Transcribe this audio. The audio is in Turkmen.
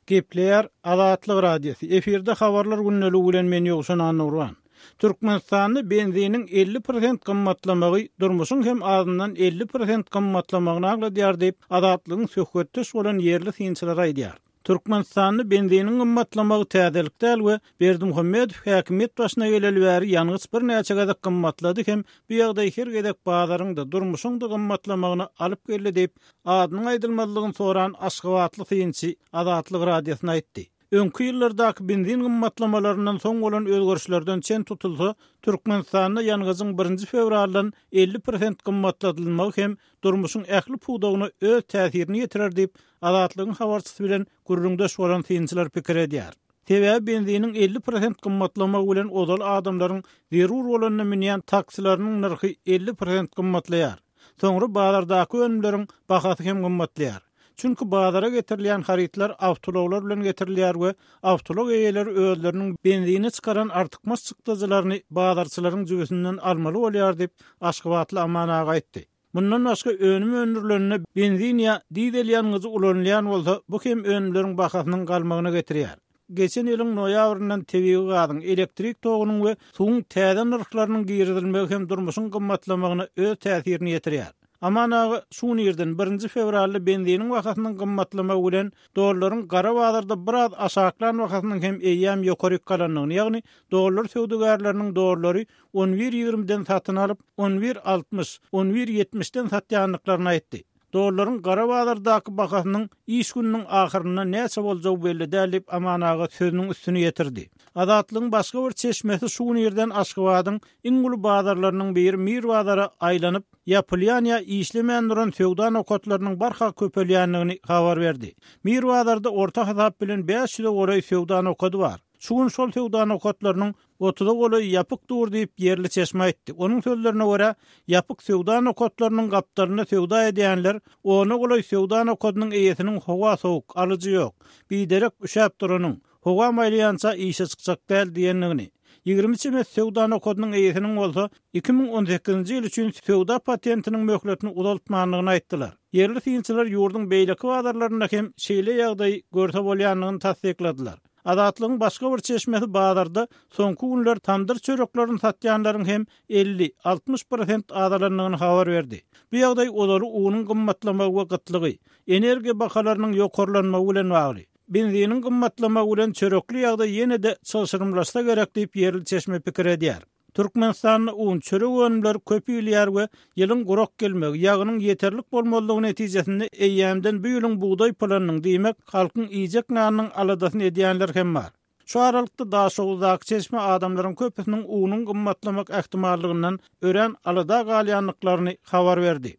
Gepleýär Azatlyk Radiosy, efirde Habarlar gündeligi bilen men Ýowşan Annagurban. Türkmenistanda benziniň 50 prosent gymmatlamagy durmuşyň hem azyndan 50 prosent gymmatlamagyny aňladýar diýip, Azatlygyň söhbetdeş bolan ýerli synçylary aýdýar. Türkmenistanda benziniň gymmatlamagy täzelik däl we Berdimuhamedow häkimiýet başyna geleli bäri ýangyç birnäçe gezek gymmatlady hem bu ýagdaý her gezek bazaryň-da, durmuşyň-da gymmatlamagyna alyp geldi diýip, adynyň aýdylmazlygyny soran aşgabatly synçy Azatlyk Radiosyna aýtdy. Öňki ýyllardaky benzin gymmatlamalaryndan soň bolan özgerişlerden çen tutulsa, Türkmenistanda ýangyjyň birinji fewraldan 50 prosent gymmatladylmagy hem durmuşyň ähli pudagyna öz täsirini ýetirer diýip, Azatlygyň habarçysy bilen gürrüňdeş bolan synçylar pikir edýär. Sebäbi benziniň 50 prosent gymmatlamagy bilen ozal adamlaryň zerur bolanda münýän taksileriniň nyrhy 50 prosent gymmatlaýar. Soňra bazardaky önümleriň bahasy hem gymmatlaýar. Çünki bazara getirilýän harytlar awtoulaglar bilen getirilýär we awtoulag eýeleri özleriniň benzine çykaran artykmaç çykdajylaryny bazarçylaryň jübüsinden almaly bolýar diýip, aşgabatly Aman aga aýtdy. Mundan başga önüm öndürilende benzin ýa dizel ýangyjy ulanylýan bolsa, bu hem önümleriň bahasynyň galmagyna getirýär. Geçen ýylyň noýabryndan tebigy gazyň, elektrik togunyň we suwuň täze nyrhlarynyň girizilmegi hem durmuşyň gymmatlamagyna öz täsirini ýetirýär. Aman aga şu gün irden, birinji fewralda benziniň bahasynyň gymmatlamagy bilen dollaryň gara bazarda biraz aşaklan bahasynyň hem eýýäm ýokaryk galandygyny, ýagny dollar söwdagärleriniň dollary on bir ýigrimiden satyn alyp, on bir 60, on bir ýetmişden satýandyklaryny aýtdy. Dollaryň gara bazardaky bahasynyň iş gününiň ahyrynda näçe boljagy belli däl diýip, Aman aga sözüniň üstüni ýetirdi. Azatlygyň başga bir çeşmesi şu gün irden Aşgabadyň iň uly bazarlarynyň biri Mir bazara aýlanyp, ýapylýan ýa işlemän duran söwda nokatlarynyň barha köpelýändigini habar berdi. Mir bazarda orta hasap bilen 500-e golaý söwda nokady bar. Şu gün şol söwda nokatlarynyň otuza golaýy ýapyk dur diýip, ýerli çeşme aýtdy. Onuň sözlerine görä, ýapyk söwda nokatlarynyň gapdalynda söwda edýänler ona golaý söwda nokadynyň eýesiniň howa sowuk, alyjy ýok, biderek üşäp duranyň, howa maýlaýança işe çykjak däl diýendigini, 20 çemesi söwda nokadynyň eýesiniň bolsa 2018-nji ýyl üçin söwda patentiniň möhletini uzaltmandygyny aýtdylar. Ýerli synçylar ýurduň beýleki bazarlarynda hem şeýle ýagdaýy görse bolýandygyny tassykladylar. Azatlygyň başga bir çeşmesi bazarda soňky günler tamdyr çöreklerini satýanlaryň hem 50, 60 prosent azalandygyny habar berdi. Bu ýagdaý ozaly unuň gymmatlamagy we gytlygy, energiýa bahalarynyň ýokarlanmagy bilen bagly. Benziniň gymmatlamagy bilen çörekli ýagdaý ýene-de çylşyrymlaşsa gerek diýip, ýerli çeşme pikir edýär. Türkmenistanda un, çörek önümleri köp iýilýär we ýylyň gurak gelmegi, ýagynyň ýeterlik bolmazlygy netijesinde eýýämden bu ýylyň bugdaý planynyň, diýmek, halkyň iýjek nanynyň aladasyny edýänler hem bar. Şu aralykda Daşoguzdaky çeşme adamlaryň köpüsiniň unuň gymmatlamak ähtimallygyndan örän alada galýandyklaryny habar berdi.